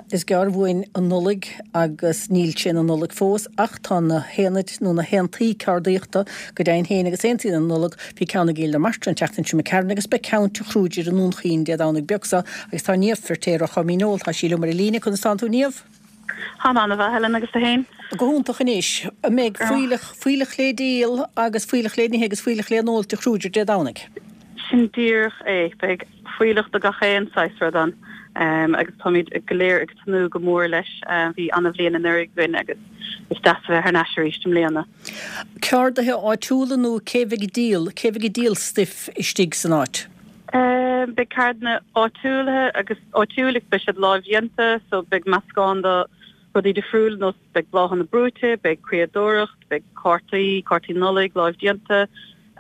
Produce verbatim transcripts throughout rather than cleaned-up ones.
Is gearr uainn an Nollaig agus níl sé ina Nollaig fós ach tá na haonaid nó na haontaí ceardaíochta go deimhin féin agus aontaí na Nollag. Bhí ceann i gCill na Martra an tseachtain seo imigh tharainn agus beidh ceann Tigh Kruger i nDún Chaoin Dé Domhnaigh beag seo agus tá Niamh Feirtéar ó Choimín Óil, tá sí liom ar an líne. Conas tánn tú Niamh? Táim an-mhaith Helen agus tú féin? Go hiontach anois. An mbeidh fuílleach, fuílleach le díol agus fuílleach le n-ithe agus fuílleach le n-ól Tigh Kruger Dé Domhnaigh? Sin díreach é. Beidh fuílleach de gach aon saghas rud ann agus táimid go léir ag tnúth go mór leis. Bhí an-bhliain anuraidh againn agus is deas a bheith thar n-ais arís i mbliana. Ceardaithe áitiúla nó cé bheidh ag díol, cé bheidh ag díol stuif istigh san áit? Beidh ceardlanna áitiúla agus áitiúil agus beidh siad lámhdhéanta so beidh meascán de rudaí difriúla nós beidh bláthanna brúite, beidh criadóireacht, beidh cártaí, cártaí Nollag lámhdhéanta,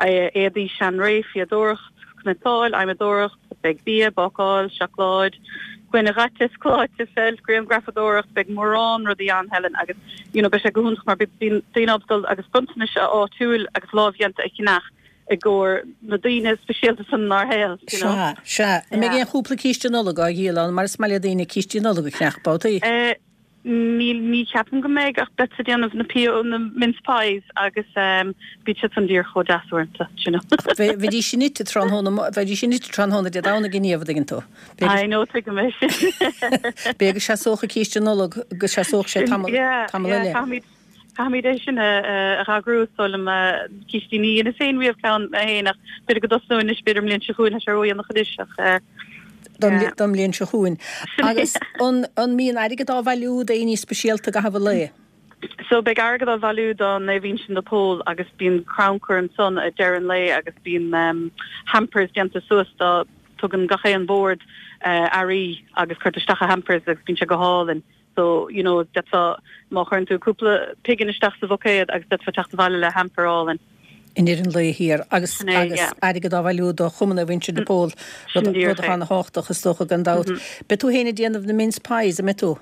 éadaí seanré, fíodóireacht, cniotáil, adhmadóireacht, beidh bia, bácáil, seacláid, gloine dhaite, cláite, feilt, grianghrafadóireacht, beidh mórán rudaí ann Helen agus you know beidh sé go hiontach mar bíonn daoine ábalta dul agus bronntanais áitiúil agus lámhdhéanta a cheannach i gcomhair na daoine speisialta san inár shaol, you know. Sea, sea. An mbeidh aon chúpla císte Nollag á dhíol ann mar is maith le daoine cístí Nollag a cheannach babhtaí? Eh, níl, ní cheapaim go mbeidh ach beadsa ag déanamh na pio, na mince pies agus ehm bíonn siad san díreach chomh deas uaireanta, you know. Bheidís sin ite tráthnóna, bheidís sin ite tráthnóna Dé Domhnaigh a Niamh, an dtuigeann tú. I know, tuigim é sin. B'fhéidir go seasódh an císte Nollag, go seasódh sé tamall, tamall eile. Yeah, yeah, caithfimid, Caithfimid é sin a eagrú is dóigh liom. Cístí ní dheineas féin riamh ceann mé féin ach b'fhéidir go dtosnóinn anois b'fhéidir an mbliain seo chugainn tá sé ródhéanach anois ach don mbliain seo chugainn. Agus an mbíonn airgead á bhailiú d'éinní speisialta i gcaitheamh an lae? So beidh airgead á bhailiú do Naomh Uinseann de Pól agus bíonn crannchur ansan ag deireadh an lae agus bíonn hampers déanta suas do tugann gach aon bhord earraí agus cuirtear isteach i hampers agus bíonn sé go hálainn. So, you know, d'fhéadfá, má chuireann tú cúpla pingin isteach sa bhuicéad agus d'fhéadfá teacht abhaile le hamper álainn. I ndeireadh an lae thiar agus agus airgead á bhailiú do Chumann Naomh Uinseann de Pól, rud rud atá ana-thábhachtach is dócha gan dabht. Beidh tú féin ag déanamh na mince pies, an mbeidh tú?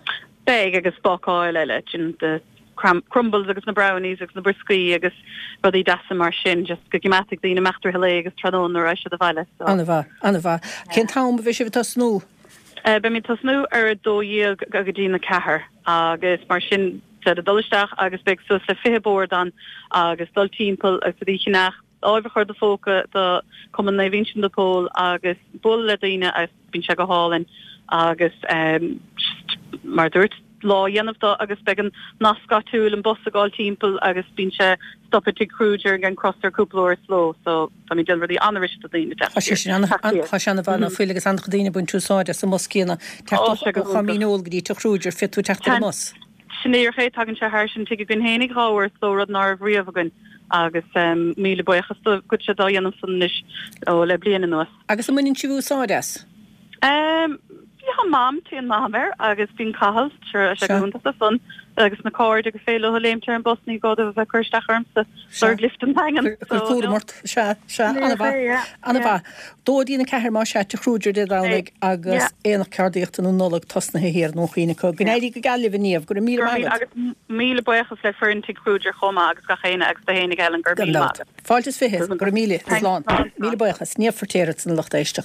Beidh agus bácáil eile, sin the crumbles agus na brownies agus na brioscaí agus rudaí deasa mar sin, just go gcoimeádfaidh daoine imeacht i rith an lae agus tráthnóna nuair a raghaidh siad abhaile. So. Ana-mhaith, ana-mhaith. Cén t-am a bheidh sibh ag tosnú? Beimid ag tosnú ar a dó dhéag go dtí na ceathair agus mar sin de dul isteach agus beidh suas le fiche bord ann agus dul timpeall agus rudaí a cheannach, lámh a chur i do phóca do Cumann Naomh Uinseann de Pól agus bualadh le daoine agus bíonn sé go hálainn agus just mar a dúirt lá a dhéanamh de agus beidh an nasc áitiúil, an bus ag gabháil timpeall agus bíonn sé stop ag Tigh Kruger ag an Crosaire cúpla uair sa ló so táimid ag déanamh rudaí an-fhuirist do daoine teacht Tá sé sin ana tá sé ana-mhaith ná fuil agus an-chuid daoine ag baint úsáid as an mbus céanna teacht ó Choimín Óil go dtí Tigh Kruger féadfaidh tú teacht ar an mbus. Sin díreach é, tagann sé thar an tigh againn fhéinig dhá uair sa ló rud ná raibh riamh againn agus míle buíochas dóibh go bhfuil siad á dhéanamh san anois ó le bliain anuas. Agus an mbaineann sibh úsáid as? Em, bhí Mam, téann Mam air agus bíonn Cathal, sure, sé go hiontach do san agus na cairde gur féidir leo léimt ar an bus ní gá dóibh a bheith ag cur isteach ormsa lorg lift an Daingean. Cuir cúram ort, sea, sea, an-mhaith, an-mhaith. Dó go dtí a ceathair más ea, Tigh Kruger Dé Domhnaigh agus Aonach Ceardaíochta na Nollag tosnaithe thiar i nDún Chaoin acu. Go n-éirí go geal libh a Niamh, go raibh míle maith agat. Agus míle buíochas le foireann Tigh Kruger chomh maith agus gach éinne agus do fhéinig Helen, go raibh míle maith agat. Fáilte is fiche, go raibh míle, slán. Míle buíochas, Niamh Feirtéar ansan a lucht éisteachta.